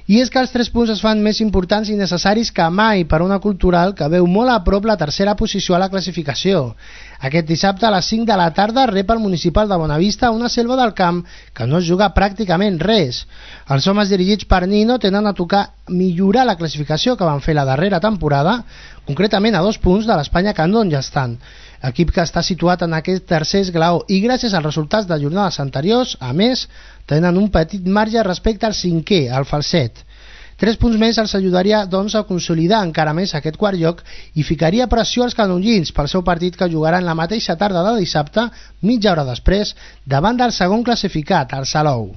I és que els 3 punts es fan més importants i necessaris que mai per una Cultural que veu molt a prop la tercera posició a la classificació. Aquest dissabte a les 5 de la tarda rep el Municipal de Bonavista una Selva del Camp que no es juga pràcticament res. Els homes dirigits per Nino tenen a tocar millorar la classificació que van fer la darrera temporada, concretament a 2 punts de l'Espanya Candón ja estan. Equip que està situat en aquest tercer esglaó i gràcies als resultats de jornades anteriors, a més, tenen un petit marge respecte al cinquè, al Falset. 3 punts més els ajudaria doncs a consolidar encara més aquest quart lloc i ficaria pressió als canonjins pel seu partit que jugaran la mateixa tarda de dissabte, mitja hora després, davant del segon classificat, el Salou.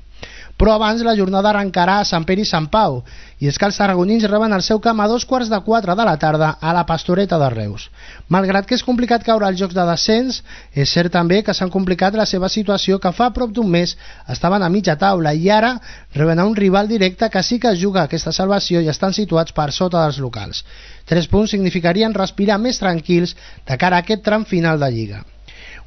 Però abans la jornada arrencarà a Sant Pere i Sant Pau, i és que els tarragonins reben el seu camp a 3:15 de la tarda a la Pastoreta de Reus. Malgrat que és complicat caure als jocs de descens, és cert també que s'han complicat la seva situació, que fa prop d'un mes estaven a mitja taula i ara reben a un rival directe que sí que juga aquesta salvació i estan situats per sota dels locals. 3 punts significarien respirar més tranquils de cara a aquest tram final de Lliga.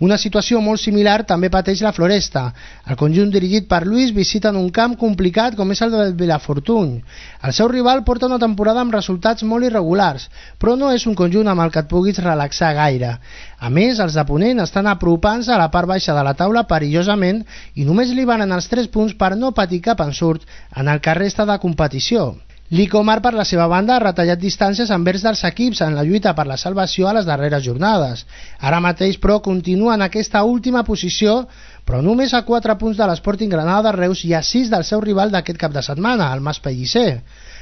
Una situació molt similar també pateix la Floresta. El conjunt dirigit per Lluís visita en un camp complicat com és el del Vilafortuny. El seu rival porta una temporada amb resultats molt irregulars, però no és un conjunt amb el que et puguis relaxar gaire. A més, els de Ponent estan apropant-se a la part baixa de la taula perillosament i només li valen els 3 punts per no patir cap ensurt en el que resta de competició. L'Icomar, per la seva banda, ha retallat distàncies envers dels equips en la lluita per la salvació a les darreres jornades. Ara mateix, però, continua en aquesta última posició, però només a 4 punts de l'Sporting Granada de Reus i a 6 del seu rival d'aquest cap de setmana, el Mas Pellicer.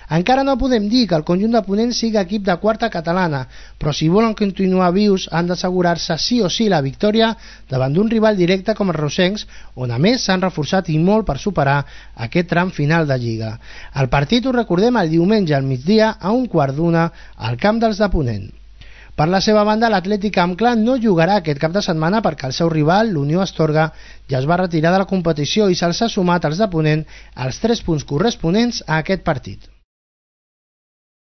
Encara no podem dir que el conjunt de Ponent sigui equip de quarta catalana, però si volen continuar vius han d'assegurar-se sí o sí la victòria davant d'un rival directe com els reusencs, on a més s'han reforçat i molt per superar aquest tram final de Lliga. El partit ho recordem el diumenge al migdia a 1:15 al camp dels de Ponent. Per la seva banda, l'Atlètic Amcla no jugarà aquest cap de setmana perquè el seu rival, l'Unió Astorga, ja es va retirar de la competició i se'ls ha sumat als de Ponent els 3 punts corresponents a aquest partit.